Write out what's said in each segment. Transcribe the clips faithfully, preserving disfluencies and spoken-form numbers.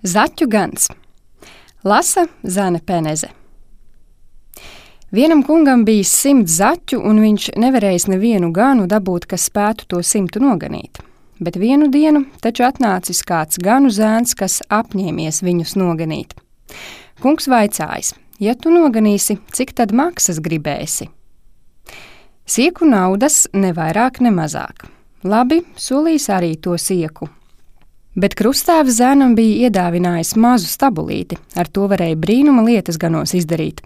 Zaķu gans. Lasa Zane Peneze. Vienam kungam bija simts zaķu, un viņš nevarējis nevienu ganu dabūt, kas spētu to simtu noganīt. Bet vienu dienu taču atnācis kāds ganu zēns, kas apņēmies viņus noganīt. Kungs vaicājis: ja tu noganīsi, cik tad maksas gribēsi? Sieku naudas ne vairāk, ne mazāk. Labi, solīs arī to sieku. Bet krustāvs zēnam bija iedāvinājis mazu stabulīti, ar to varēja brīnuma lietas ganos izdarīt.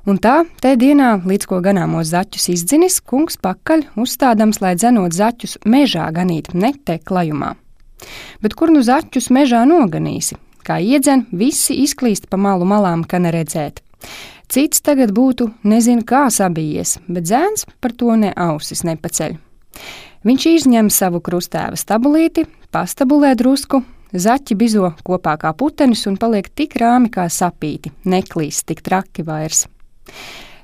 Un tā, te dienā, līdz ko ganāmos zaķus izdzinis, kungs pakaļ uzstādams, lai dzenot zaķus mežā ganīt, ne te klajumā. Bet kur nu zaķus mežā noganīsi? Kā iedzen, visi izklīst pa malu malām, ka neredzēt. Cits tagad būtu nezinu kā sabijies, bet zēns par to ne ausis nepaceļ. Viņš izņem savu krustāva stabulīti, pastabulē drusku, zaķi bizo kopā kā putenis un paliek tik rāmi kā sapīti, neklīst tik traki vairs.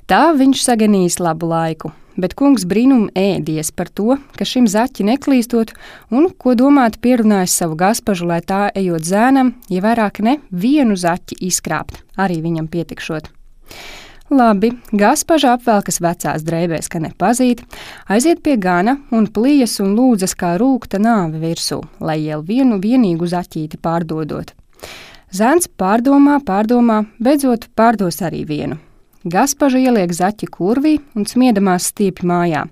Tā viņš saganījis labu laiku, bet kungs brīnum ēdies par to, ka šim zaķi neklīstot un, ko domāt, pierunājis savu gaspažu, lai tā ejot zēnam, ja vairāk ne vienu zaķi izkrāpt, arī viņam pietikšot. Labi, gaspaža apvelkas vecās drēbēs, ka nepazīt, aiziet pie gana un plijas un lūdzas kā rūkta nāve virsū, lai jau vienu vienīgu zaķīti pārdodot. Zēns pārdomā, pārdomā, beidzot pārdos arī vienu. Gaspaža ieliek zaķi kurvī un smiedamās stiepj mājā.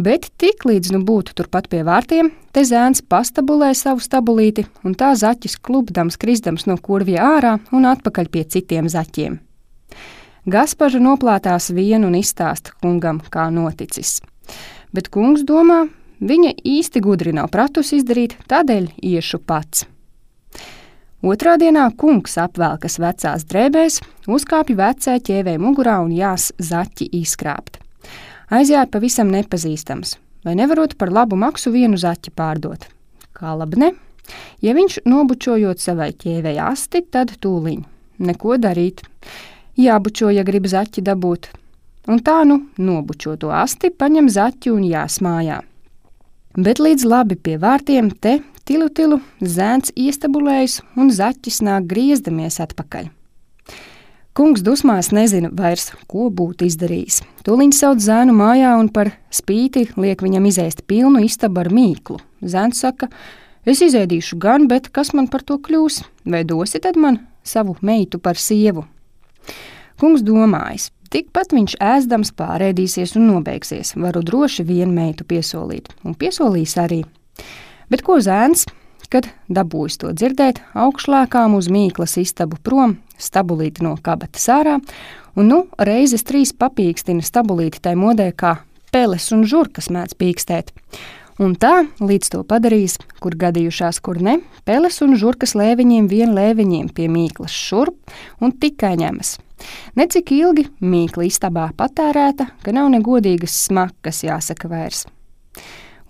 Bet tik līdz nu būtu turpat pie vārtiem, te zēns pastabulē savu stabulīti un tā zaķis klupdams, krisdams no kurvja ārā un atpakaļ pie citiem zaķiem. Gaspaža noplātās vienu un izstāsta kungam, kā noticis. Bet kungs domā, viņa īsti gudri nav pratus izdarīt, tādēļ iešu pats. Otrā dienā kungs apvelkas vecās drēbēs, uzkāpj vecē ķēvē mugurā un jās zaķi izkrāpt. Aizjāja pavisam nepazīstams, vai nevarot par labu maksu vienu zaķi pārdot. Kā labi ne? Ja viņš nobučojot savai ķēvei asti, tad tūliņ. Neko darīt. Jābučo, ja grib zaķi dabūt. Un tā nu nobučo to asti, paņem zaķi un jās mājā. Bet līdz labi pie vārtiem te tilu tilu zēns iestabulējis un zaķis nāk griezdamies atpakaļ. Kungs dusmās nezina vairs, ko būtu izdarījis. Tūliņ sauc zēnu mājā un par spīti liek viņam izēst pilnu istabu ar mīklu. Zēns saka: es izēdīšu gan, bet kas man par to kļūs? Vai dosi tad man savu meitu par sievu? Kungs domājis, tikpat viņš ēzdams pārēdīsies un nobeigsies, varu droši vienu meitu piesolīt, un piesolīs arī. Bet ko zēns, kad dabūjis to dzirdēt, augšlēkām uz mīklas istabu prom, stabulīti no kabatas ārā, un nu reizes trīs papīkstina stabulīti tai modē, kā peles un žurkas mēdz pīkstēt. Un tā, līdz to padarījis, kur gadījušās, kur ne, peles un žurkas lēviņiem vien lēviņiem pie mīklas šurp un tikai ņemas. Necik ilgi mīkla istabā patērēta, ka nav negodīgas smakas jāsaka vairs.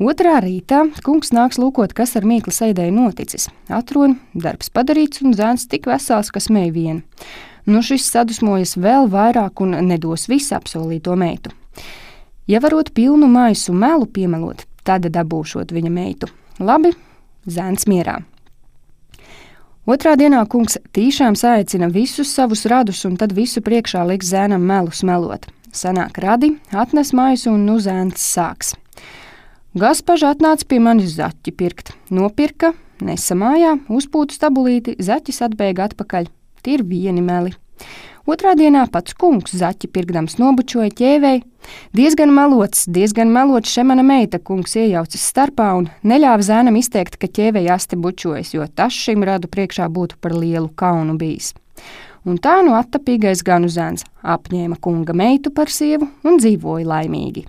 Otrā rītā kungs nāks lūkot, kas ar mīklas ēdēju noticis. Atrod, darbs padarīts un zēns tik vesels, ka smēj vien. Nu šis sadusmojas vēl vairāk un nedos visu apsolīto meitu. Ja varot pilnu maisu melu piemelot, tad dabūšot viņa meitu. Labi, zēns mierā. Otrā dienā kungs tīšām saicina visus savus radus un tad visu priekšā liks zēnam melu smelot. Sanāk radi, atnes maisu un nu zēns sāks. Gaspaža atnāca pie manis zaķi pirkt. Nopirka, nesa mājā, uzpūtu stabulīti, zaķis atbēga atpakaļ. Tie ir vieni meli. Otrā dienā pats kungs zaķi pirkdams nobučoja ķēvei. Diezgan melots, diezgan melots še mana meita, kungs iejaucas starpā un neļāva zēnam izteikt, ka ķēvei asti bučojas, jo tas šim radu priekšā būtu par lielu kaunu bijis. Un tā nu attapīgais ganu zēns apņēma kunga meitu par sievu un dzīvoja laimīgi.